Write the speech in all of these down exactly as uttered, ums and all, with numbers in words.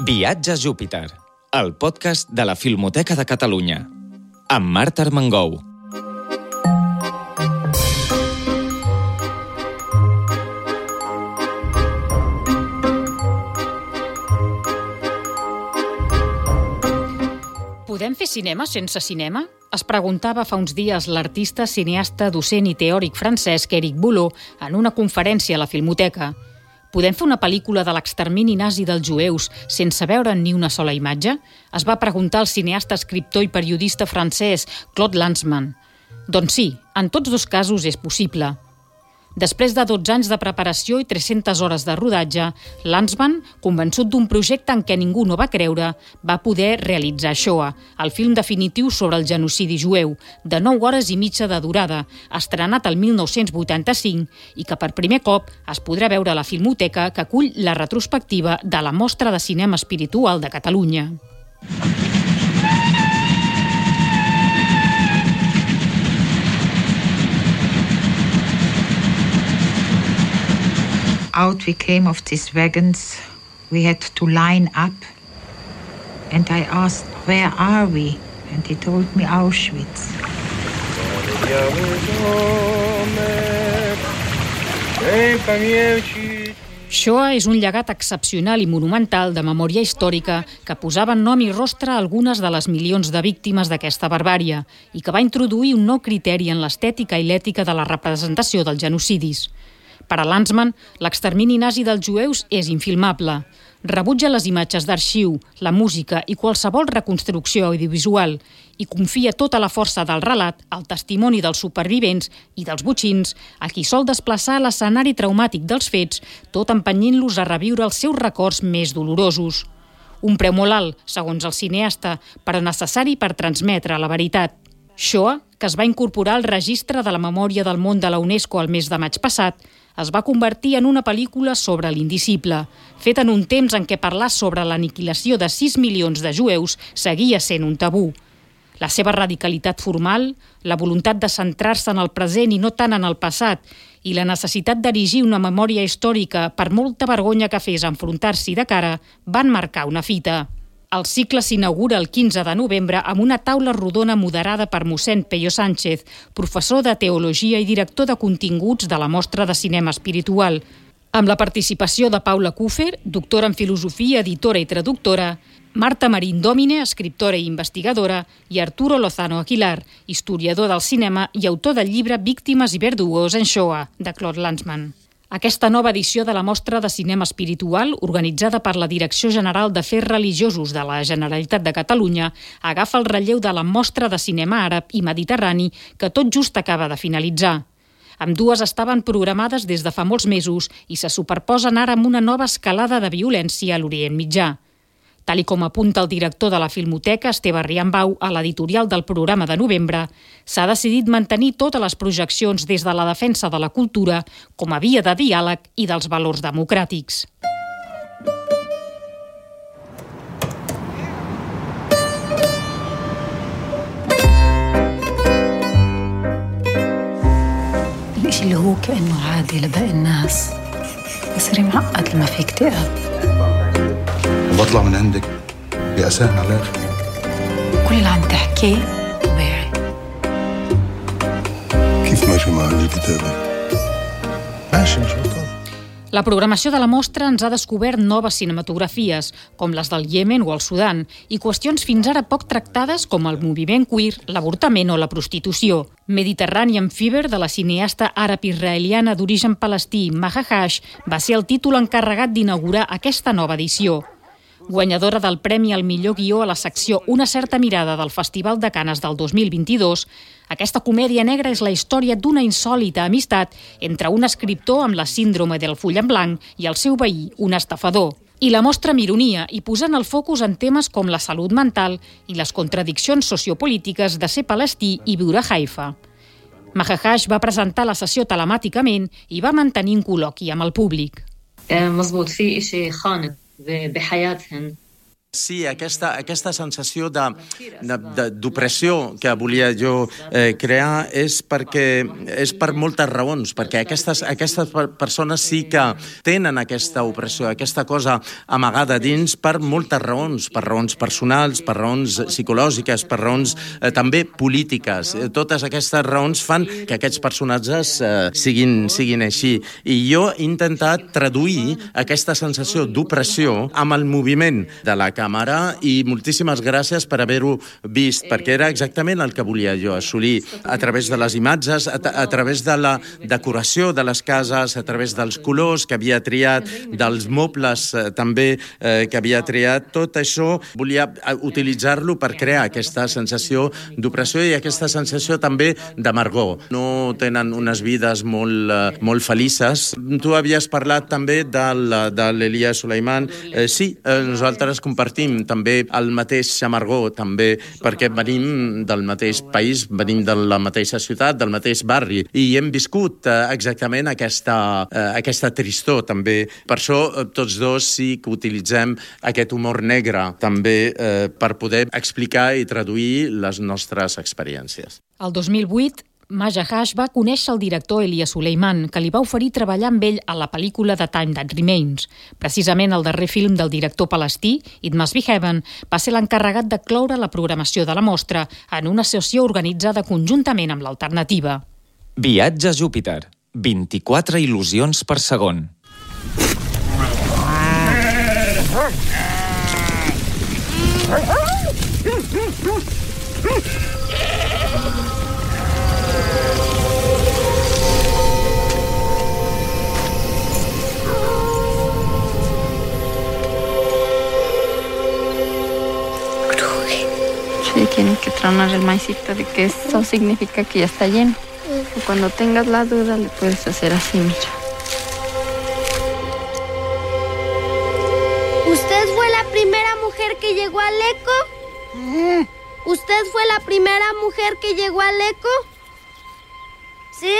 Viatge a Júpiter, el podcast de la Filmoteca de Catalunya, amb Marta Armengou. Podem fer cinema sense cinema? Es preguntava fa uns dies l'artista, cineasta, docent i teòric francès Éric Boulot en una conferència a la Filmoteca. Podem fer una pel·lícula de l'extermini nazi dels jueus sense veure ni una sola imatge? Es va preguntar el cineasta, escriptor i periodista francès Claude Lanzmann. Doncs sí, en tots dos casos és possible. Després de dotze anys de preparació i tres-centes hores de rodatge, Lanzmann, convençut d'un projecte en què ningú no va creure, va poder realitzar Shoah, el film definitiu sobre el genocidi jueu, de nou hores i mitja de durada, estrenat el mil nou-cents vuitanta-cinc i que per primer cop es podrà veure a la Filmoteca, que acull la retrospectiva de la Mostra de Cinema Espiritual de Catalunya. Out we came of these wagons. We had to line up. And I asked, where are we? And he told me Auschwitz. Shoah és un llegat excepcional i monumental de memòria històrica que posava nom i rostre a algunes de les milions de víctimes d'aquesta barbària i que va introduir un nou criteri en l'estètica i l'ètica de la representació dels genocidis. Per a Lanzmann, l'extermini nazi dels jueus és infilmable. Rebutja les imatges d'arxiu, la música i qualsevol reconstrucció audiovisual i confia tota la força del relat al testimoni dels supervivents i dels botxins, a qui sol desplaçar l'escenari traumàtic dels fets, tot empenyint-los a reviure els seus records més dolorosos. Un preu molt alt, segons el cineasta, però necessari per transmetre la veritat. Shoah, que es va incorporar al registre de la memòria del món de la UNESCO el mes de maig passat, es va convertir en una pel·lícula sobre l'indicible, feta en un temps en què parlar sobre l'aniquilació de sis milions de jueus seguia sent un tabú. La seva radicalitat formal, la voluntat de centrar-se en el present i no tant en el passat, i la necessitat d'erigir una memòria històrica per molta vergonya que fes enfrontar-s'hi de cara, van marcar una fita. El cicle s'inaugura el quinze de novembre amb una taula rodona moderada per mossèn Peyo Sánchez, professor de Teologia i director de continguts de la Mostra de Cinema Espiritual, amb la participació de Paula Kuffer, doctora en Filosofia, editora i traductora, Marta Marín Dòmine, escriptora i investigadora, i Arturo Lozano Aguilar, historiador del cinema i autor del llibre Víctimes i verdugos en Shoah, de Claude Lanzmann. Aquesta nova edició de la Mostra de Cinema Espiritual, organitzada per la Direcció General d'Afers Religiosos de la Generalitat de Catalunya, agafa el relleu de la Mostra de Cinema Àrab i Mediterrani que tot just acaba de finalitzar. Ambdues estaven programades des de fa molts mesos i se superposen ara amb una nova escalada de violència a l'Orient Mitjà. Tal i com apunta el director de la Filmoteca, Esteve Riambau, a l'editorial del programa de novembre, s'ha decidit mantenir totes les projeccions des de la defensa de la cultura com a via de diàleg i dels valors democràtics. الإشي اللي هو كأنه عادي لباقي الناس بصير معقد لما في اكتئاب. وبطلع من عندك بأسان على الآخر. كل اللي عم تحكيه طبيعي. كيف ماشي مع الكتابة؟ ماشي مش بطال. La programació de la mostra ens ha descobert noves cinematografies, com les del Iemen o el Sudan, i qüestions fins ara poc tractades com el moviment queer, l'avortament o la prostitució. Mediterranean Fever, de la cineasta àrab-israeliana d'origen palestí Maha Hash, va ser el títol encarregat d'inaugurar aquesta nova edició. Guanyadora del Premi al millor guió a la secció Una certa mirada del Festival de Canes del dos mil vint-i-dos, aquesta comèdia negra és la història d'una insòlita amistat entre un escriptor amb la síndrome del full en blanc i el seu veí, un estafador. I la mostra amb ironia i posant el focus en temes com la salut mental i les contradiccions sociopolítiques de ser palestí i viure a Haifa. Maha Hash va presentar la sessió telemàticament i va mantenir un col·loqui amb el públic. مزبوط في إشي خانق بحياتهن Sí, aquesta, aquesta sensació de, de, de, d'opressió que volia jo eh, crear és perquè és per moltes raons, perquè aquestes, aquestes persones sí que tenen aquesta opressió, aquesta cosa amagada dins per moltes raons, per raons personals, per raons psicològiques, per raons eh, també polítiques. Totes aquestes raons fan que aquests personatges eh, siguin, siguin així. I jo he intentat traduir aquesta sensació d'opressió amb el moviment de la càmera i moltíssimes gràcies per haver-ho vist, perquè era exactament el que volia jo assolir a través de les imatges, a, a través de la decoració de les cases, a través dels colors que havia triat, dels mobles eh, també eh, que havia triat. Tot això volia utilitzar-lo per crear aquesta sensació d'opressió i aquesta sensació també d'amargor. No tenen unes vides molt, eh, molt felices. Tu havies parlat també del, de l'Elia Suleiman. Eh, sí, eh, nosaltres compartim també el mateix amargor, també perquè venim del mateix país, venim de la mateixa ciutat, del mateix barri, i hem viscut eh, exactament aquesta, eh, aquesta tristor, també. Per això eh, tots dos sí que utilitzem aquest humor negre, també, eh, per poder explicar i traduir les nostres experiències. El dos mil vuit, Maja Hash va conèixer el director Elia Suleiman, que li va oferir treballar amb ell a la pel·lícula The Time That Remains. Precisament el darrer film del director palestí, It Must Be Heaven, va ser l'encarregat de cloure la programació de la mostra en una sessió organitzada conjuntament amb l'Alternativa. Viatge a Júpiter. vint-i-quatre il·lusions per segon. Sí, tienes que tronar el maicito de que eso significa que ya está lleno. Y cuando tengas la duda le puedes hacer así, mira. ¿Usted fue la primera mujer que llegó al eco? ¿Usted fue la primera mujer que llegó al eco? ¿Sí?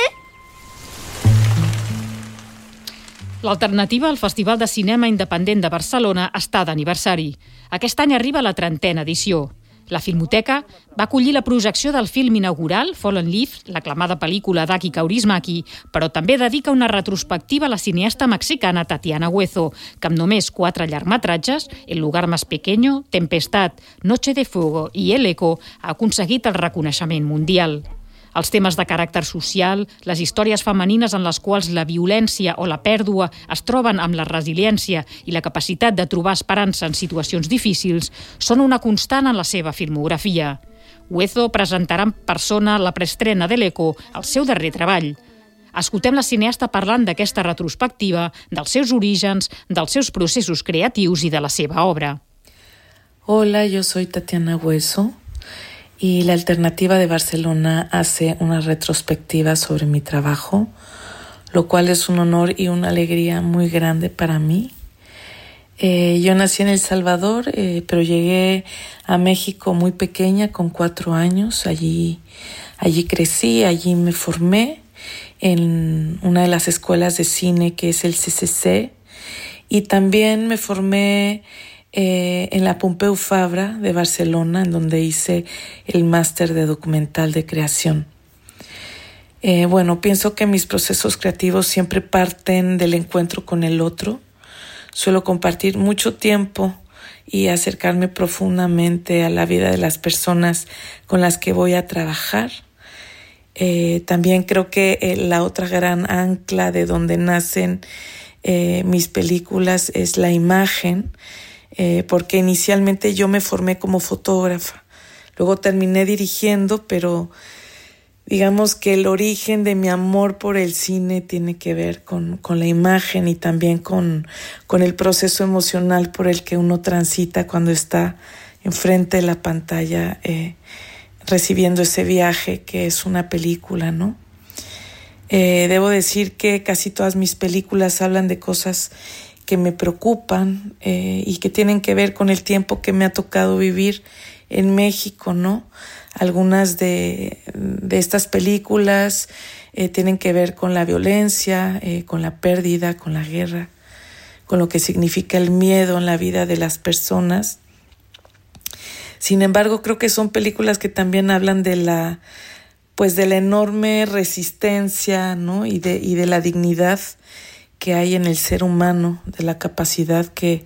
L'Alternativa al Festival de Cinema Independent de Barcelona està d'aniversari. Aquest any arriba la trentena edició. La Filmoteca va acollir la projecció del film inaugural, Fallen Leaves, l'aclamada pel·lícula d'Aki Kaurismäki, però també dedica una retrospectiva a la cineasta mexicana Tatiana Huezo, que amb només quatre llargmetratges, El lugar más pequeño, Tempestad, Noche de fuego i El eco, ha aconseguit el reconeixement mundial. Els temes de caràcter social, les històries femenines en les quals la violència o la pèrdua es troben amb la resiliència i la capacitat de trobar esperança en situacions difícils són una constant en la seva filmografia. Huezo presentarà en persona la preestrena de l'Eco, el seu darrer treball. Escoltem la cineasta parlant d'aquesta retrospectiva, dels seus orígens, dels seus processos creatius i de la seva obra. Hola, yo soy Tatiana Huezo. Y la Alternativa de Barcelona hace una retrospectiva sobre mi trabajo, lo cual es un honor y una alegría muy grande para mí. Eh, yo nací en El Salvador, eh, pero llegué a México muy pequeña, con cuatro años. Allí, allí crecí, allí me formé en una de las escuelas de cine que es el C C C, y también me formé Eh, en la Pompeu Fabra de Barcelona, en donde hice el máster de documental de creación. Eh, bueno, pienso que mis procesos creativos siempre parten del encuentro con el otro. Suelo compartir mucho tiempo y acercarme profundamente a la vida de las personas con las que voy a trabajar. Eh, también creo que eh, la otra gran ancla de donde nacen eh, mis películas es la imagen. Eh, porque inicialmente yo me formé como fotógrafa, luego terminé dirigiendo, pero digamos que el origen de mi amor por el cine tiene que ver con, con la imagen y también con, con el proceso emocional por el que uno transita cuando está enfrente de la pantalla eh, recibiendo ese viaje que es una película, ¿no? Eh, debo decir que casi todas mis películas hablan de cosas que me preocupan eh, y que tienen que ver con el tiempo que me ha tocado vivir en México, ¿no? Algunas de, de estas películas eh, tienen que ver con la violencia, eh, con la pérdida, con la guerra, con lo que significa el miedo en la vida de las personas. Sin embargo, creo que son películas que también hablan de la, pues de la enorme resistencia, ¿no? y de, y de la dignidad que hay en el ser humano, de la capacidad que,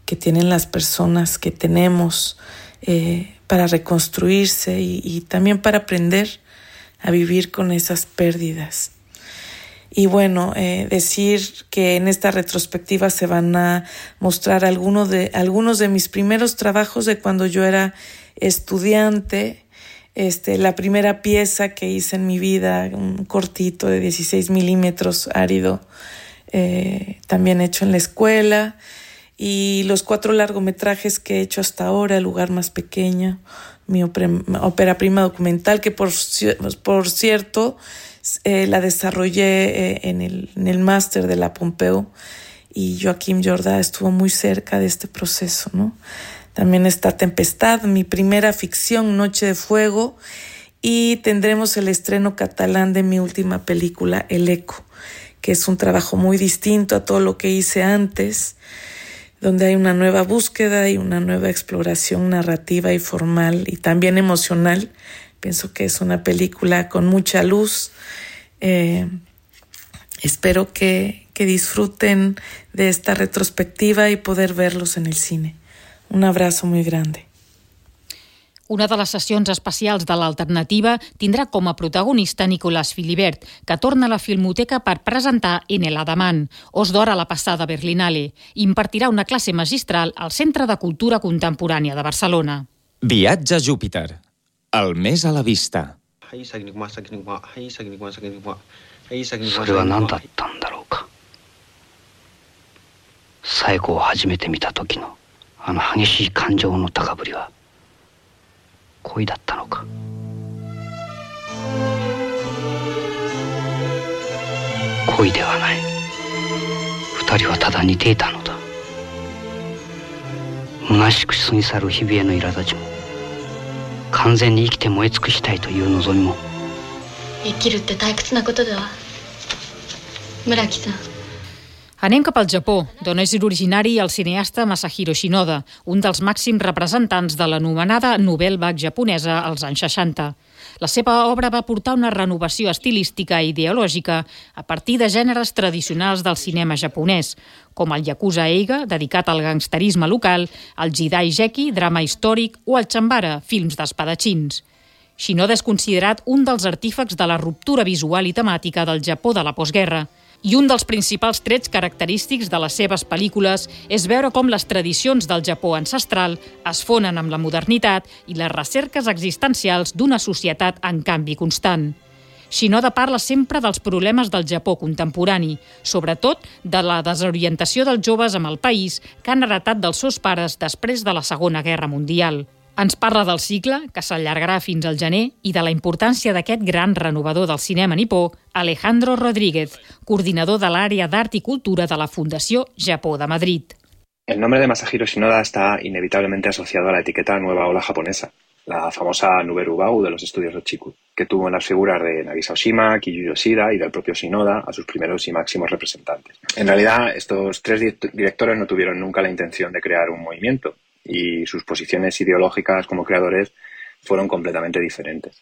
que tienen las personas, que tenemos eh, para reconstruirse y, y también para aprender a vivir con esas pérdidas. Y bueno, eh, decir que en esta retrospectiva se van a mostrar algunos de, algunos de mis primeros trabajos de cuando yo era estudiante. Este, la primera pieza que hice en mi vida, un cortito de dieciséis milímetros árido, eh, también hecho en la escuela. Y los cuatro largometrajes que he hecho hasta ahora, El lugar más pequeño, mi ópera prima documental, que por, por cierto eh, la desarrollé eh, en el, en el máster de la Pompeu, y Joaquim Jordá estuvo muy cerca de este proceso, ¿no? También está Tempestad, mi primera ficción, Noche de Fuego, y tendremos el estreno catalán de mi última película, El Eco, que es un trabajo muy distinto a todo lo que hice antes, donde hay una nueva búsqueda y una nueva exploración narrativa y formal y también emocional. Pienso que es una película con mucha luz. Eh, espero que, que disfruten de esta retrospectiva y poder verlos en el cine. Un abrazo muy grande. Una de les sessions especials de l'Alternativa tindrà com a protagonista Nicolás Philibert, que torna a la Filmoteca per presentar En el Adamant, Os d'Or a la passada Berlinale, i impartirà una classe magistral al Centre de Cultura Contemporània de Barcelona. Viatge a Júpiter, el més a la vista. それは何だったんだろうか。冴子を初めて見た時のあの激しい感情の高ぶりは恋だったのか。恋ではない。二人はただ似ていたのだ。虚しく過ぎ去る日々への苛立ちも、完全に生きて燃え尽くしたいという望みも。生きるって退屈なことだわ、村木さん。Anem cap al Japó, d'on és originari el cineasta Masahiro Shinoda, un dels màxims representants de l'anomenada Nouvelle Vague japonesa als anys seixanta. La seva obra va portar una renovació estilística i ideològica a partir de gèneres tradicionals del cinema japonès, com el Yakuza Eiga, dedicat al gangsterisme local, el Jidai Geki, drama històric, o el Chambara, films d'espadatxins. Shinoda és considerat un dels artífecs de la ruptura visual i temàtica del Japó de la postguerra, i un dels principals trets característics de les seves pel·lícules és veure com les tradicions del Japó ancestral es fonen amb la modernitat i les recerques existencials d'una societat en canvi constant. Shinoda parla sempre dels problemes del Japó contemporani, sobretot de la desorientació dels joves amb el país que han heretat dels seus pares després de la Segona Guerra Mundial. Ens parla del cicle, que s'allargarà fins al gener, i de la importància d'aquest gran renovador del cinema nipó, Alejandro Rodríguez, coordinador de l'àrea d'Art i Cultura de la Fundació Japó de Madrid. El nombre de Masahiro Shinoda está inevitablemente asociado a la etiqueta Nueva Ola japonesa, la famosa Nouvelle Vague de los estudios Rochiku, que tuvo en las figuras de Nagisa Oshima, Kiyu Yoshida y del propio Shinoda a sus primeros y máximos representantes. En realidad, estos tres directores no tuvieron nunca la intención de crear un movimiento, y sus posiciones ideológicas como creadores fueron completamente diferentes.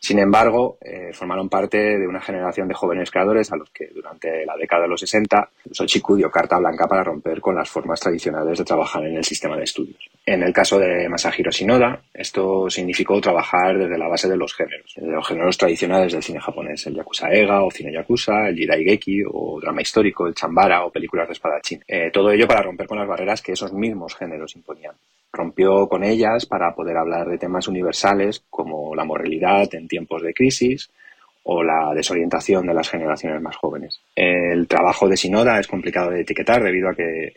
Sin embargo, eh, formaron parte de una generación de jóvenes creadores a los que durante la década de los sesenta Shochiku dio carta blanca para romper con las formas tradicionales de trabajar en el sistema de estudios. En el caso de Masahiro Shinoda, esto significó trabajar desde la base de los géneros, de los géneros tradicionales del cine japonés, el Yakuza Eiga o cine Yakuza, el Jidai Geki o drama histórico, el Chambara o películas de espadachín. Eh, todo ello para romper con las barreras que esos mismos géneros imponían. Rompió con ellas para poder hablar de temas universales como la moralidad en tiempos de crisis o la desorientación de las generaciones más jóvenes. El trabajo de Shinoda es complicado de etiquetar debido a que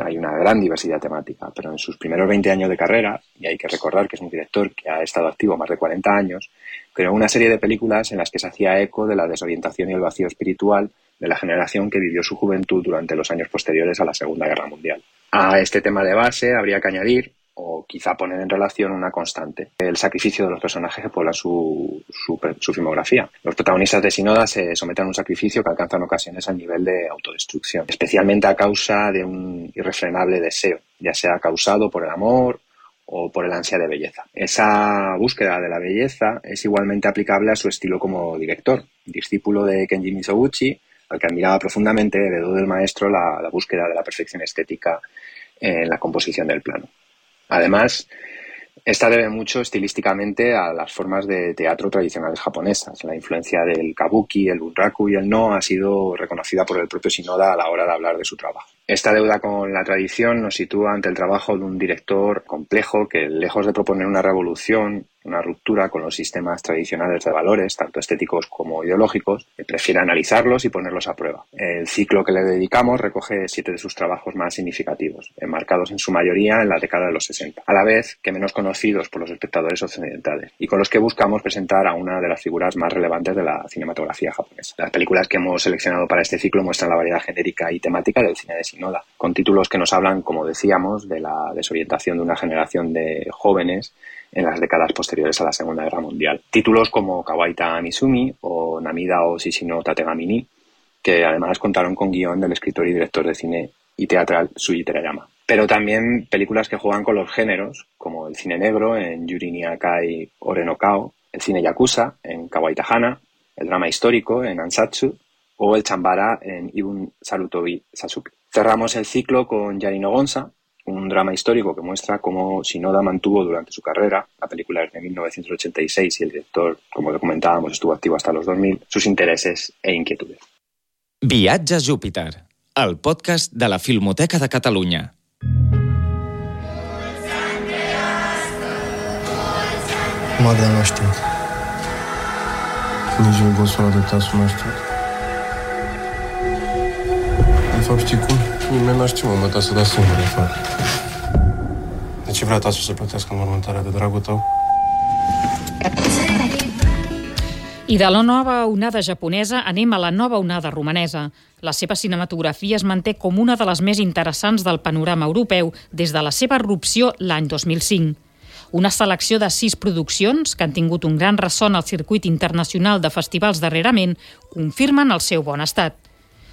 hay una gran diversidad temática, pero en sus primeros veinte años de carrera, y hay que recordar que es un director que ha estado activo más de cuarenta años, creó una serie de películas en las que se hacía eco de la desorientación y el vacío espiritual de la generación que vivió su juventud durante los años posteriores a la Segunda Guerra Mundial. A este tema de base habría que añadir, o quizá poner en relación, una constante: el sacrificio de los personajes que poblan su, su, su filmografía. Los protagonistas de Shinoda se someten a un sacrificio que alcanza en ocasiones al nivel de autodestrucción, especialmente a causa de un irrefrenable deseo, ya sea causado por el amor o por el ansia de belleza. Esa búsqueda de la belleza es igualmente aplicable a su estilo como director. Discípulo de Kenji Mizoguchi, al que admiraba profundamente, heredó del maestro la, la búsqueda de la perfección estética en la composición del plano. Además, esta debe mucho estilísticamente a las formas de teatro tradicionales japonesas. La influencia del kabuki, el bunraku y el no ha sido reconocida por el propio Shinoda a la hora de hablar de su trabajo. Esta deuda con la tradición nos sitúa ante el trabajo de un director complejo que, lejos de proponer una revolución, una ruptura con los sistemas tradicionales de valores, tanto estéticos como ideológicos, prefiere analizarlos y ponerlos a prueba. El ciclo que le dedicamos recoge siete de sus trabajos más significativos, enmarcados en su mayoría en la década de los sesenta, a la vez que menos conocidos por los espectadores occidentales, y con los que buscamos presentar a una de las figuras más relevantes de la cinematografía japonesa. Las películas que hemos seleccionado para este ciclo muestran la variedad genérica y temática del cine de Shinoda, con títulos que nos hablan, como decíamos, de la desorientación de una generación de jóvenes en las décadas posteriores a la Segunda Guerra Mundial. Títulos como Kawaita Mizumi o Namida o Shishino Tategamini, que además contaron con guión del escritor y director de cine y teatral Shuji Terayama. Pero también películas que juegan con los géneros, como el cine negro en Yuri ni Akai Ore no Kao, el cine yakuza en Kawaita Hana, el drama histórico en Ansatsu o el chambara en Ibun Sarutobi Sasuke. Cerramos el ciclo con Yari no Gonza, un drama histórico que muestra cómo Shinoda mantuvo durante su carrera, la película es de mil novecientos ochenta y seis y el director, como lo comentábamos, estuvo activo hasta los dos mil, sus intereses e inquietudes. Viatge a Júpiter, el podcast de la Filmoteca de Catalunya. Magda nu știu. Nici eu gosul adoptat să nu știu. De fapt, știi cum? Nimeni n-a știu, mă, ta să dea singur, de fapt. De ce vrea tasul să plătească înmormântarea de dragul tău? I de la nova onada japonesa anem a la nova onada romanesa. La seva cinematografia es manté com una de les més interessants del panorama europeu des de la seva erupció l'any dos mil cinc. Una selecció de sis produccions, que han tingut un gran ressò al circuit internacional de festivals darrerament, confirmen el seu bon estat.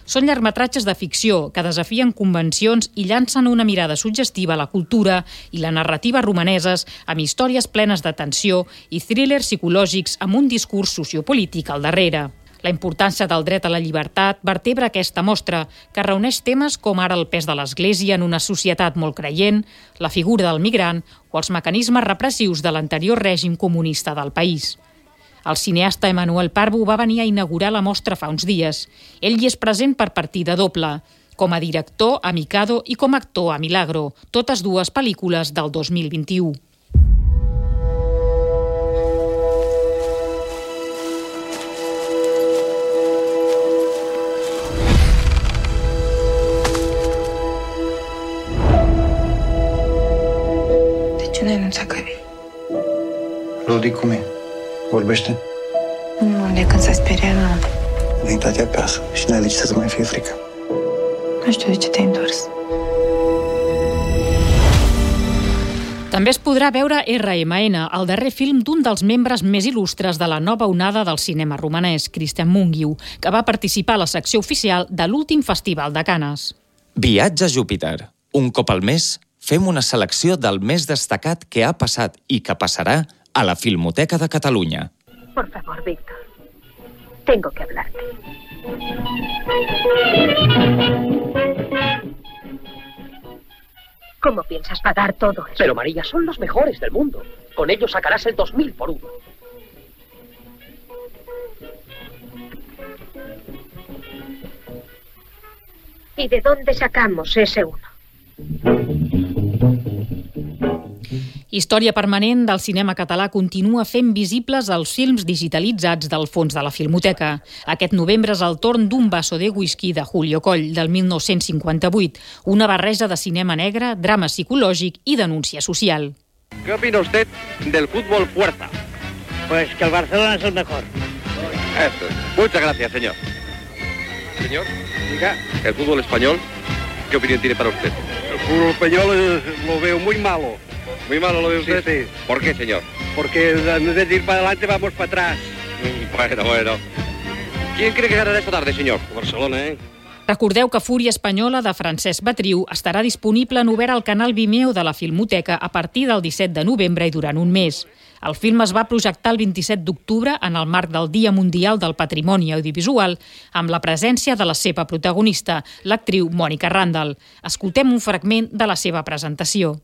Són llargmetratges de ficció que desafien convencions i llancen una mirada suggestiva a la cultura i la narrativa romaneses amb històries plenes de tensió i thrillers psicològics amb un discurs sociopolític al darrere. La importància del dret a la llibertat vertebra aquesta mostra, que reuneix temes com ara el pes de l'Església en una societat molt creient, la figura del migrant o els mecanismes repressius de l'anterior règim comunista del país. El cineasta Emmanuel Parvo va venir a inaugurar la mostra fa uns dies. Ell hi és present per partida doble, com a director a Mikado i com a actor a Milagro, totes dues pel·lícules del dos mil vint-i-u. De ce n-ai anunțat că vii? Rodi, cum e? Vorbește? Nu, de când s-a speriat, nu. Ai intrat acasă și n-ai decis să mai fie frică. Nu știu de ce te-ai întors. També es podrà veure erre eme ene, el darrer film d'un dels membres més il·lustres de la nova onada del cinema romanès, Cristian Mungiu, que va participar a la secció oficial de l'últim Festival de Canes. Viatge a Júpiter. Un cop al mes fem una selecció del més destacat que ha passat i que passarà a la Filmoteca de Catalunya. Por favor, Víctor. Tengo que hablarte. ¿Cómo piensas pagar todo eso? Pero, María, son los mejores del mundo. Con ellos sacarás el dos mil por uno. ¿Y de dónde sacamos ese uno? Història permanent del cinema català continua fent visibles els films digitalitzats del fons de la Filmoteca. Aquest novembre és el torn d'un vaso de whisky de Julio Coll, del mil nou-cents cinquanta-vuit, una barreja de cinema negre, drama psicològic i denúncia social. ¿Qué opina usted del fútbol fuerza? Pues que el Barcelona es el mejor. Eso es. Muchas gracias, señor. Señor, diga. ¿El fútbol español? ¿Qué opinión tiene para usted? El fútbol español lo veo muy malo. ¿Muy malo lo ve usted? Sí, sí. ¿Por qué, señor? Porque en vez de ir para adelante vamos para atrás. Bueno, bueno. ¿Quién cree que ganará esta tarde, señor? Barcelona, ¿eh? Recordeu que Fúria Espanyola, de Francesc Batriu, estarà disponible en obert al canal Vimeo de la Filmoteca a partir del disset de novembre i durant un mes. El film es va projectar el vint-i-set d'octubre en el marc del Dia Mundial del Patrimoni Audiovisual, amb la presència de la seva protagonista, l'actriu Mònica Randall. Escoltem un fragment de la seva presentació.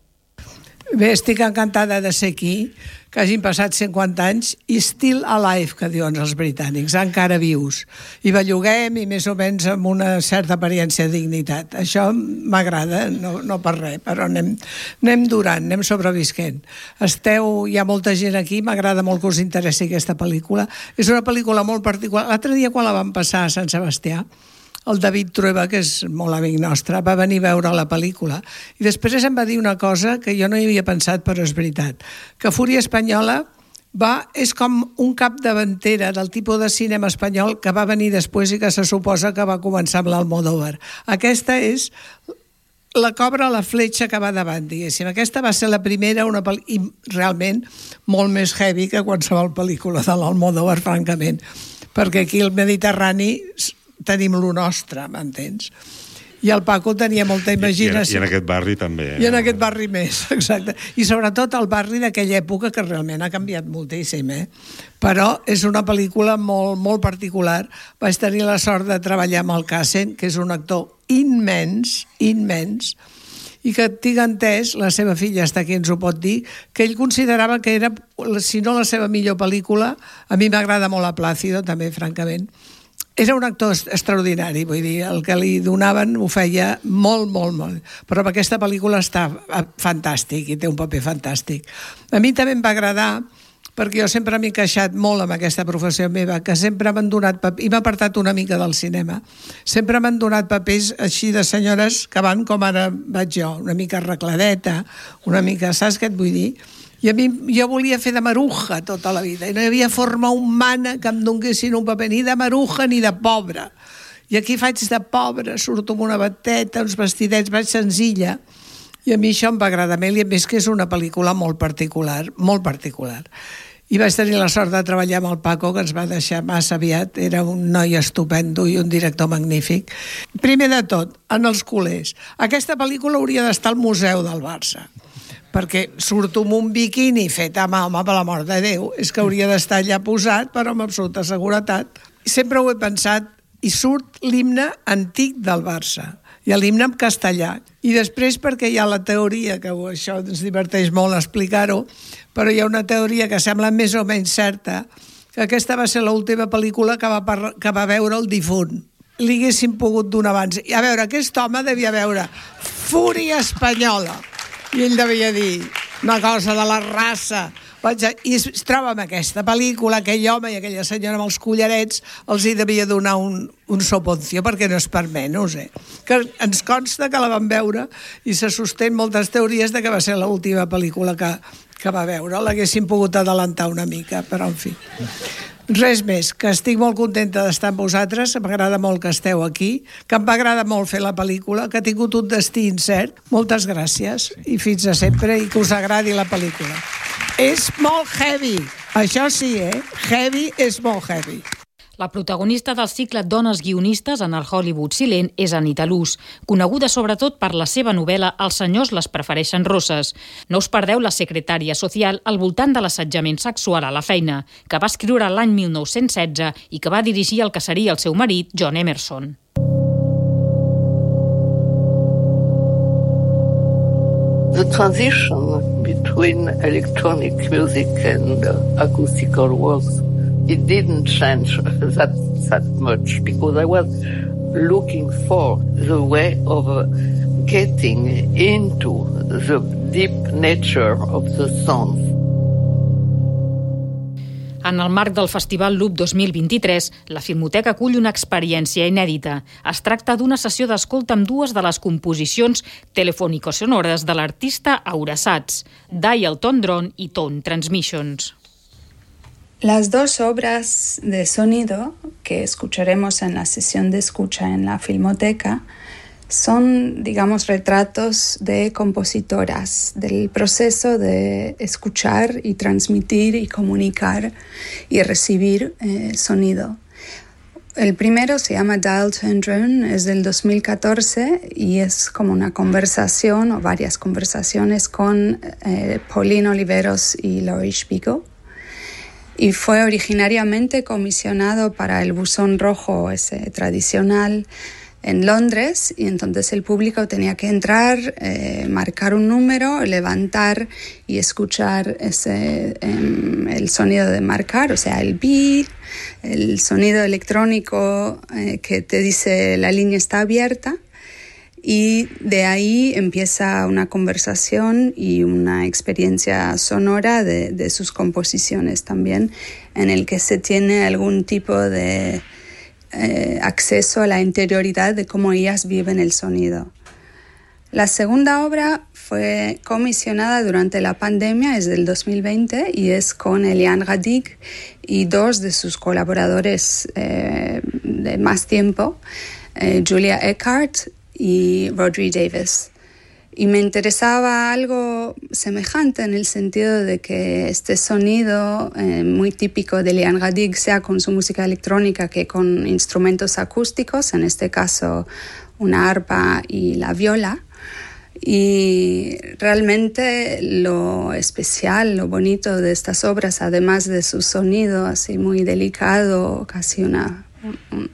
Bé, estic encantada de ser aquí, que hagin passat cinquanta anys i still alive, que diuen els britànics, encara vius. I belluguem i més o menys amb una certa apariència de dignitat. Això m'agrada, no, no per res, però anem, anem durant, anem sobrevisquent. Esteu, hi ha molta gent aquí, m'agrada molt que us interessi aquesta pel·lícula. És una pel·lícula molt particular. L'altre dia, quan la vam passar a Sant Sebastià, el David Trueba, que és molt amic nostre, va venir a veure la pel·lícula i després em va dir una cosa que jo no hi havia pensat, però és veritat, que Fúria Espanyola va, és com un capdavantera del tipus de cinema espanyol que va venir després i que se suposa que va començar amb l'Almodóvar. Aquesta és la cobra la fletxa que va davant, diguéssim. Aquesta va ser la primera, una pel·lícula, i realment molt més heavy que qualsevol pel·lícula de l'Almodóvar, francament, perquè aquí al Mediterrani tenim lo nostre, m'entens? I el Paco tenia molta imaginació. I, i, en, I en aquest barri també. Eh? I en aquest barri més, exacte. I sobretot el barri d'aquella època, que realment ha canviat moltíssim, eh? Però és una pel·lícula molt, molt particular. Vaig tenir la sort de treballar amb el Cassen, que és un actor immens, immens, i que tinc entès, la seva filla està aquí, ens ho pot dir, que ell considerava que era, si no la seva millor pel·lícula, a mi m'agrada molt a Plácido, també, francament. Era un actor extraordinari, vull dir, el que li donaven ho feia molt, molt, molt. Però aquesta pel·lícula està fantàstic i té un paper fantàstic. A mi també em va agradar, perquè jo sempre m'he queixat molt amb aquesta professió meva, que sempre m'han donat papers, i m'ha apartat una mica del cinema, sempre m'han donat papers així de senyores que van com ara vaig jo, una mica arregladeta, una mica, saps què et vull dir? I a mi, jo volia fer de maruja tota la vida, i no hi havia forma humana que em donessin un paper, ni de maruja ni de pobra. I aquí faig de pobra, surto amb una bateta, uns vestidets, vaig senzilla, i a mi això em va agradar molt, i a més que és una pel·lícula molt particular, molt particular. I vaig tenir la sort de treballar amb el Paco, que ens va deixar massa aviat, era un noi estupendo i un director magnífic. Primer de tot, en els culers. Aquesta pel·lícula hauria d'estar al Museu del Barça, perquè surto amb un biquini fet a mà, home, per la mort de Déu, és que hauria d'estar allà posat, però amb absoluta seguretat. Sempre ho he pensat, i surt l'himne antic del Barça, i l'himne en castellà. I després perquè hi ha la teoria, que això ens diverteix molt explicar-ho, però hi ha una teoria que sembla més o menys certa, que aquesta va ser l'última pel·lícula que va, parla, que va veure el difunt. Li haguessin pogut donar abans. I a veure, aquest home devia veure Fúria Espanyola, i ell devia dir una cosa de la raça. I es troba amb aquesta pel·lícula, aquell home i aquella senyora amb els collarets els hi devia donar un, un soponcio, perquè no és per menys, eh? Que ens consta que la van veure i se sostén moltes teories de que va ser l'última pel·lícula que, que va veure. L'haguessin pogut adelantar una mica, però en fi. Res més, que estic molt contenta d'estar amb vosaltres, m'agrada molt que esteu aquí, que em va agradar molt fer la pel·lícula, que ha tingut un destí incert. Moltes gràcies i fins a sempre, i que us agradi la pel·lícula. És molt heavy, això sí, eh? Heavy és molt heavy. La protagonista del cicle Dones guionistes en el Hollywood silent és Anita Loos, coneguda sobretot per la seva novel·la Els senyors les prefereixen rosses. No us perdeu La secretària social al voltant de l'assetjament sexual a la feina, que va escriure l'any mil nou-cents setze i que va dirigir el que seria el seu marit, John Emerson. The transition between electronic music and uh, acoustical was it didn't change that that much, because I was looking for the way of uh, getting into the deep nature of the songs. En el marc del Festival Loop dos mil vint-i-tres, la Filmoteca acull una experiència inèdita. Es tracta d'una sessió d'escolta amb dues de les composicions telefònico-sonores de l'artista Aura Sats, Dial Tone Drone i Tone Transmissions. Las dos obras de sonido que escucharemos en la sesión de escucha en la Filmoteca son, digamos, retratos de compositoras, del proceso de escuchar y transmitir y comunicar y recibir eh, sonido. El primero se llama Dial Tone Drone, es del dos mil catorce y es como una conversación o varias conversaciones con eh, Pauline Oliveros y Laurie Spiegel. Y fue originariamente comisionado para el buzón rojo ese tradicional en Londres, y entonces el público tenía que entrar, eh, marcar un número, levantar y escuchar ese, eh, el sonido de marcar, o sea, el beep, el sonido electrónico eh, que te dice la línea está abierta, y de ahí empieza una conversación y una experiencia sonora de, de sus composiciones también, en el que se tiene algún tipo de Eh, acceso a la interioridad de cómo ellas viven el sonido. La segunda obra fue comisionada durante la pandemia, es del dos mil veinte, y es con Eliane Radic y dos de sus colaboradores eh, de más tiempo, eh, Julia Eckhart y Rodri Davis. Y me interesaba algo semejante en el sentido de que este sonido eh, muy típico de Eliane Radic sea con su música electrónica que con instrumentos acústicos, en este caso una arpa y la viola. Y realmente lo especial, lo bonito de estas obras, además de su sonido así muy delicado, casi una,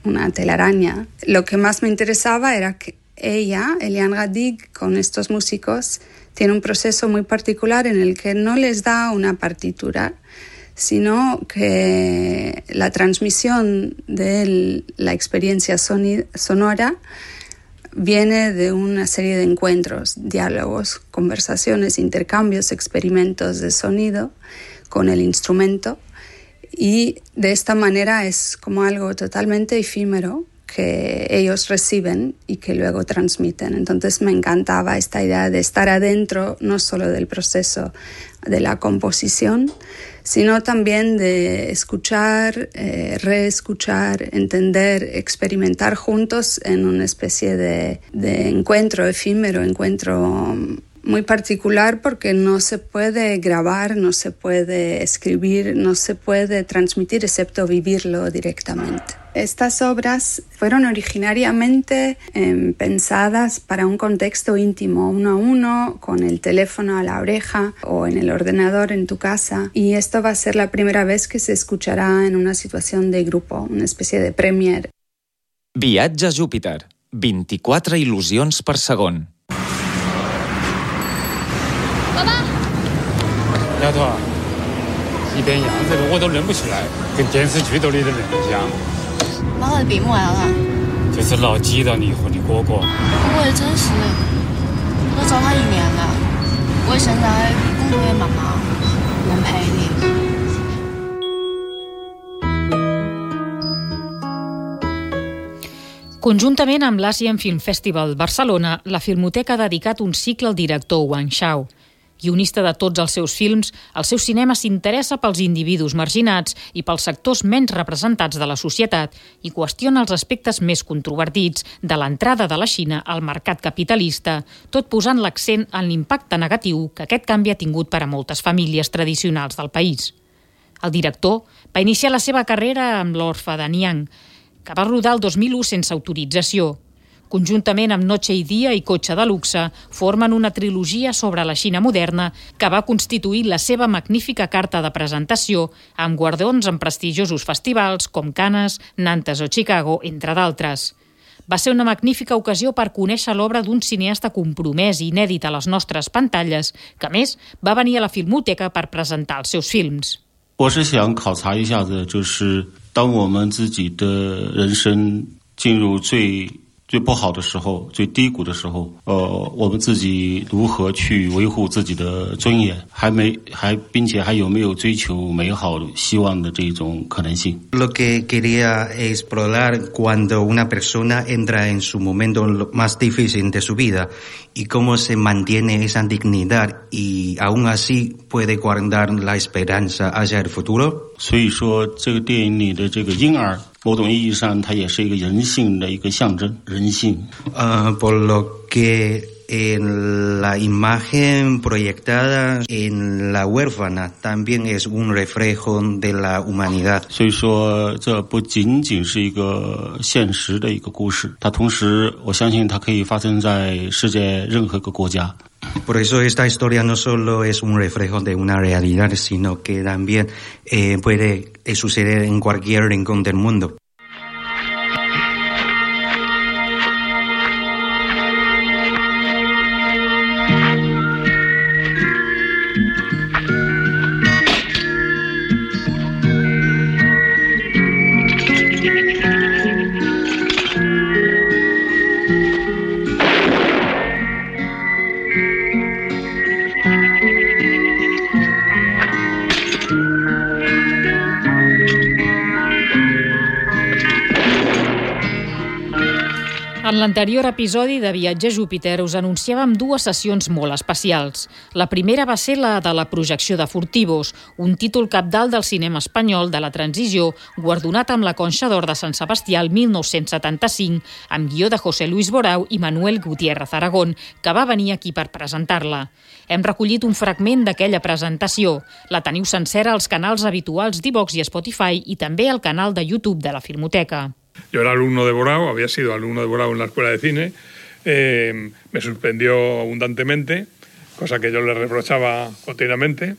una telaraña, lo que más me interesaba era que ella, Eliane Radic, con estos músicos, tiene un proceso muy particular en el que no les da una partitura, sino que la transmisión de la experiencia sonora viene de una serie de encuentros, diálogos, conversaciones, intercambios, experimentos de sonido con el instrumento, y de esta manera es como algo totalmente efímero que ellos reciben y que luego transmiten. Entonces me encantaba esta idea de estar adentro no solo del proceso de la composición, sino también de escuchar, eh, reescuchar, entender, experimentar juntos en una especie de, de encuentro efímero, encuentro muy particular, porque no se puede grabar, no se puede escribir, no se puede transmitir excepto vivirlo directamente. Estas obras fueron originariamente eh, pensadas para un contexto íntimo, uno a uno, con el teléfono a la oreja o en el ordenador en tu casa, y esto va a ser la primera vez que se escuchará en una situación de grupo, una especie de premiere. Viatge a Júpiter. vint-i-quatre il·lusions per segon. 丫头，一边样这个我都认不出来，跟电视剧里的人一样。妈，我的笔墨来了。就是老挤到你和你哥哥。我也真是，我找他一年了，我现在工作也忙忙，能陪你。 Conjuntament amb l'Asian Film Festival Barcelona, la Filmoteca ha dedicat un cicle al director Wang Shao. Guionista de tots els seus films, el seu cinema s'interessa pels individus marginats i pels sectors menys representats de la societat i qüestiona els aspectes més controvertits de l'entrada de la Xina al mercat capitalista, tot posant l'accent en l'impacte negatiu que aquest canvi ha tingut per a moltes famílies tradicionals del país. El director va iniciar la seva carrera amb l'Orfe de Niang, que va rodar el dos mil u sense autorització. Conjuntament amb Noche i dia i Cotxe de luxe, formen una trilogia sobre la Xina moderna que va constituir la seva magnífica carta de presentació amb guardons en prestigiosos festivals com Cannes, Nantes o Chicago, entre d'altres. Va ser una magnífica ocasió per conèixer l'obra d'un cineasta compromès i inèdit a les nostres pantalles, que a més va venir a la Filmoteca per presentar els seus films. 我是想考察一下子，就是当我们自己的人生进入最最不好的时候，最低谷的时候，呃，我们自己如何去维护自己的尊严，还没还并且还有没有追求美好希望的这种可能性。 Lo que quería explorar cuando una persona entra en su momento más difícil de su vida y cómo se mantiene esa dignidad y aún así puede guardar la esperanza hacia el futuro. 所以说，这个电影里的这个婴儿，某种意义上，它也是一个人性的一个象征，人性。 Uh, por lo que en la imagen proyectada en la huérfana también es un reflejo de la humanidad. 所以说这不仅仅是一个现实的一个故事，它同时我相信它可以发生在世界任何个国家。 Por eso esta historia no solo es un reflejo de una realidad, sino que también eh, puede eh, suceder en cualquier rincón del mundo. En l'anterior episodi de Viatge a Júpiter us anunciàvem dues sessions molt especials. La primera va ser la de la projecció de Furtivos, un títol cabdal del cinema espanyol de la transició, guardonat amb la Conxa d'Or de Sant Sebastià el mil nou-cents setanta-cinc, amb guió de José Luis Borau i Manuel Gutiérrez Aragón, que va venir aquí per presentar-la. Hem recollit un fragment d'aquella presentació. La teniu sencera als canals habituals d'Ivox i Spotify i també al canal de YouTube de la Filmoteca. Yo era alumno de Borau, había sido alumno de Borau en la escuela de cine, eh, me suspendió abundantemente, cosa que yo le reprochaba continuamente,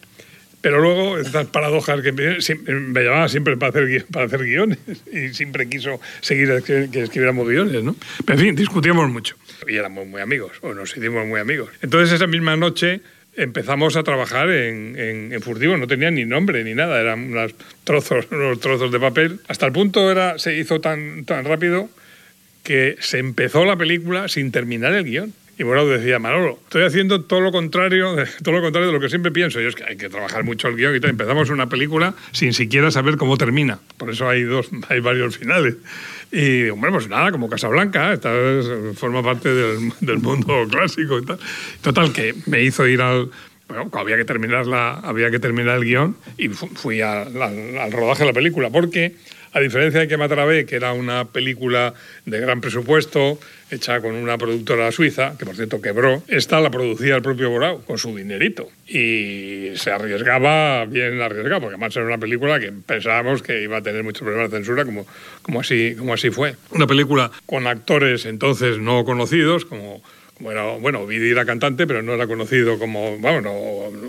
pero luego estas paradojas que me, me llamaba siempre para hacer, para hacer guiones y siempre quiso seguir que escribiéramos guiones, ¿no? Pero en fin, discutíamos mucho y éramos muy amigos, o nos hicimos muy amigos. Entonces esa misma noche empezamos a trabajar en, en, en Furtivos, no tenía ni nombre ni nada, eran unos trozos, unos trozos de papel. Hasta el punto era, se hizo tan, tan rápido que se empezó la película sin terminar el guión. Y Borau decía, Manolo, estoy haciendo todo lo contrario, todo lo contrario de lo que siempre pienso. Y es que hay que trabajar mucho el guión y tal. Empezamos una película sin siquiera saber cómo termina. Por eso hay dos, hay varios finales. Y, hombre, pues nada, como Casablanca, esta es, forma parte del, del mundo clásico y tal. Total, que me hizo ir al... Bueno, había que terminar, la, había que terminar el guión y fui a, al, al rodaje de la película, porque... A diferencia de Que matar a B, que era una película de gran presupuesto, hecha con una productora suiza, que por cierto quebró, esta la producía el propio Borau, con su dinerito. Y se arriesgaba, bien arriesgado, porque además era una película que pensábamos que iba a tener muchos problemas de censura, como, como, así, como así fue. Una película con actores entonces no conocidos, como... como era, bueno, Ovidi era cantante, pero no era conocido como, bueno, no,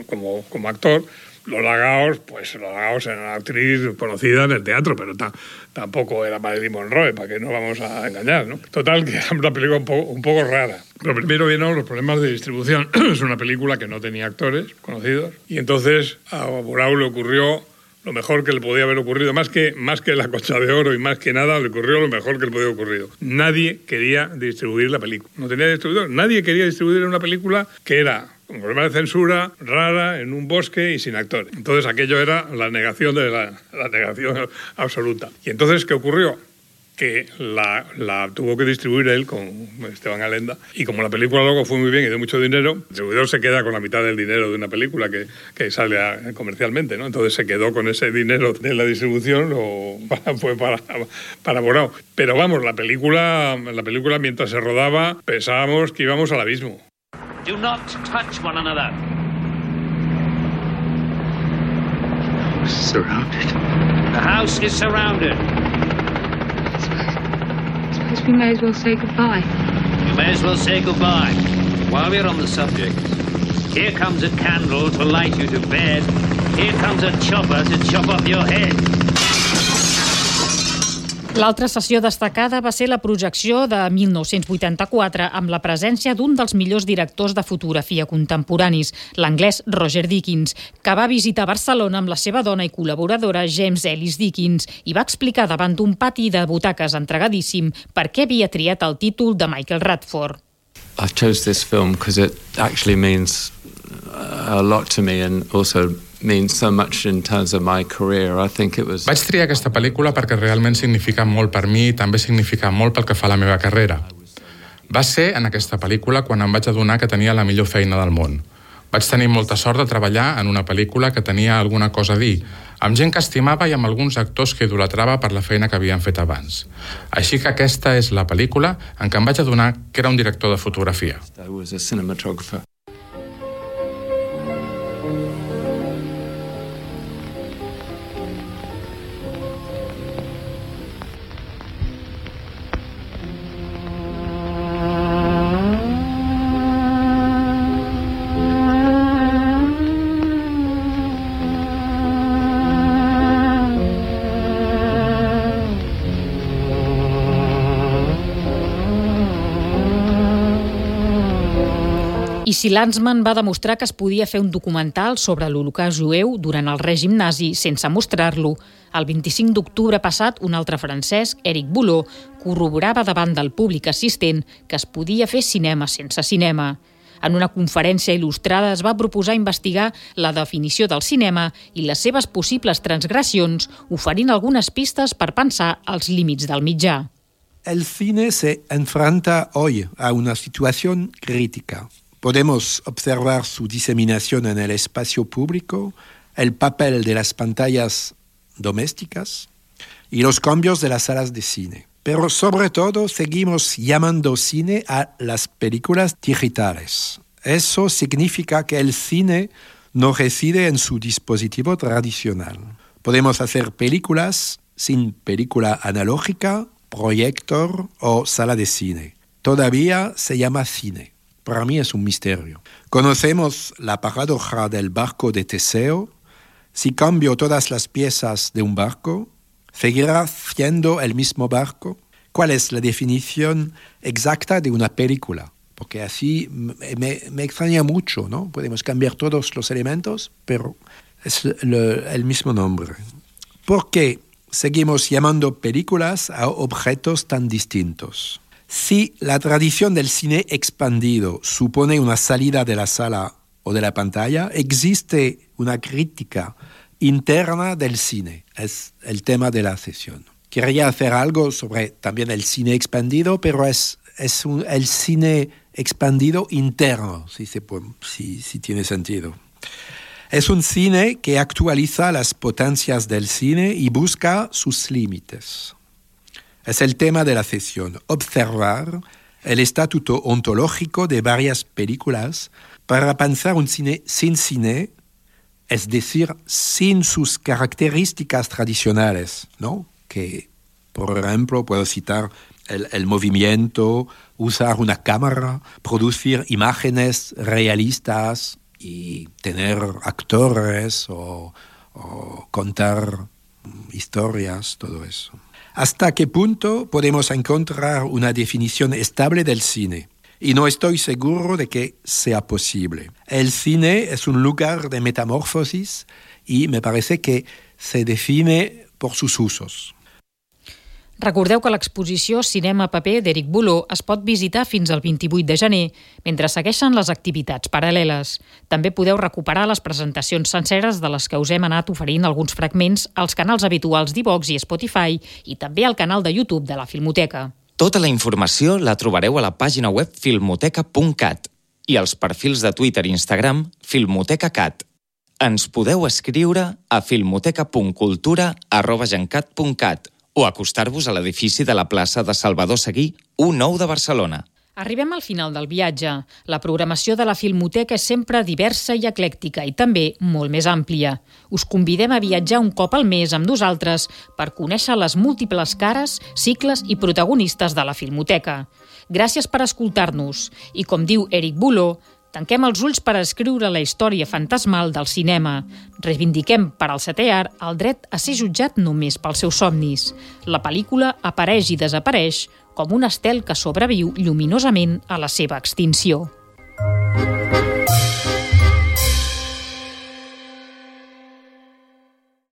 como, como actor. Lola Gaos, pues Lola Gaos era una actriz conocida en el teatro, pero ta, tampoco era Marilyn Monroe, para que no vamos a engañar, ¿no? Total, que era una película un poco, un poco rara. Pero primero vieron los problemas de distribución. Es una película que no tenía actores conocidos. Y entonces a Borau le ocurrió lo mejor que le podía haber ocurrido, más que, más que la Concha de Oro y más que nada, le ocurrió lo mejor que le podía haber ocurrido. Nadie quería distribuir la película. No tenía distribuidor. Nadie quería distribuir una película que era un problema de censura, rara, en un bosque y sin actores. Entonces aquello era la negación de la, la negación absoluta. Y entonces, ¿qué ocurrió? Que la, la tuvo que distribuir él con Esteban Alenda. Y como la película luego fue muy bien y dio mucho dinero, el distribuidor se queda con la mitad del dinero de una película que, que sale a, comercialmente, ¿no? Entonces se quedó con ese dinero de la distribución, lo, fue para, para Borau. Pero vamos, la película, la película mientras se rodaba pensábamos que íbamos al abismo. Do not touch one another. Surrounded. The house is surrounded. I suppose we may as well say goodbye. You may as well say goodbye. While we're on the subject, here comes a candle to light you to bed. Here comes a chopper to chop off your head. L'altra sessió destacada va ser la projecció de mil nou-cents vuitanta-quatre amb la presència d'un dels millors directors de fotografia contemporanis, l'anglès Roger Deakins, que va visitar Barcelona amb la seva dona i col·laboradora James Ellis Deakins i va explicar davant d'un pati de butaques entregadíssim per què havia triat el títol de Michael Radford. I chose this film because it actually means a lot to me and also means so much in terms of my career. I think it was... Vaig triar aquesta pel·lícula perquè realment significa molt per mi i també significa molt pel que fa a la meva carrera. Va ser en aquesta pel·lícula quan em vaig adonar que tenia la millor feina del món. Vaig tenir molta sort de treballar en una pel·lícula que tenia alguna cosa a dir, amb gent que estimava i amb alguns actors que idolatrava per la feina que havien fet abans. Així que aquesta és la pel·lícula en què em vaig adonar que era un director de fotografia. I was a cinematographer. I si Lanzmann va demostrar que es podia fer un documental sobre l'Holocaust jueu durant el règim nazi sense mostrar-lo, el vint-i-cinc d'octubre passat, un altre francès, Éric Boulot, corroborava davant del públic assistent que es podia fer cinema sense cinema. En una conferència il·lustrada es va proposar investigar la definició del cinema i les seves possibles transgressions, oferint algunes pistes per pensar els límits del mitjà. El cine se enfrenta hoy a una situación crítica. Podemos observar su diseminación en el espacio público, el papel de las pantallas domésticas y los cambios de las salas de cine. Pero sobre todo seguimos llamando cine a las películas digitales. Eso significa que el cine no reside en su dispositivo tradicional. Podemos hacer películas sin película analógica, proyector o sala de cine. Todavía se llama cine. Para mí es un misterio. Conocemos la paradoja del barco de Teseo. Si cambio todas las piezas de un barco, ¿seguirá siendo el mismo barco? ¿Cuál es la definición exacta de una película? Porque así me, me extraña mucho, ¿no? Podemos cambiar todos los elementos, pero es lo, el mismo nombre. ¿Por qué seguimos llamando películas a objetos tan distintos? Si la tradición del cine expandido supone una salida de la sala o de la pantalla, existe una crítica interna del cine. Es el tema de la sesión. Quería hacer algo sobre también el cine expandido, pero es, es un, el cine expandido interno, si, se puede, si, si tiene sentido. Es un cine que actualiza las potencias del cine y busca sus límites. Es el tema de la sesión, observar el estatuto ontológico de varias películas para pensar un cine sin cine, es decir, sin sus características tradicionales, ¿no? Que, por ejemplo, puedo citar el, el movimiento, usar una cámara, producir imágenes realistas y tener actores o, o contar historias, todo eso. ¿Hasta qué punto podemos encontrar una definición estable del cine? Y no estoy seguro de que sea posible. El cine es un lugar de metamorfosis y me parece que se define por sus usos. Recordeu que l'exposició Cinema Paper d'Éric Boulot es pot visitar fins al vint-i-vuit de gener, mentre segueixen les activitats paral·leles. També podeu recuperar les presentacions senceres de les que us hem anat oferint alguns fragments als canals habituals d'iVox i Spotify i també al canal de YouTube de la Filmoteca. Tota la informació la trobareu a la pàgina web filmoteca punt cat i als perfils de Twitter i Instagram filmotecacat. Ens podeu escriure a filmoteca punt cultura arroba gencat punt cat o acostar-vos a l'edifici de la plaça de Salvador Seguí, u nou de Barcelona. Arribem al final del viatge. La programació de la Filmoteca és sempre diversa i eclèctica i també molt més àmplia. Us convidem a viatjar un cop al mes amb nosaltres per conèixer les múltiples cares, cicles i protagonistes de la Filmoteca. Gràcies per escoltar-nos i, com diu Éric Boulot, tanquem els ulls per escriure la història fantasmal del cinema. Reivindiquem per al setè art el dret a ser jutjat només pels seus somnis. La pel·lícula apareix i desapareix com un estel que sobreviu lluminosament a la seva extinció.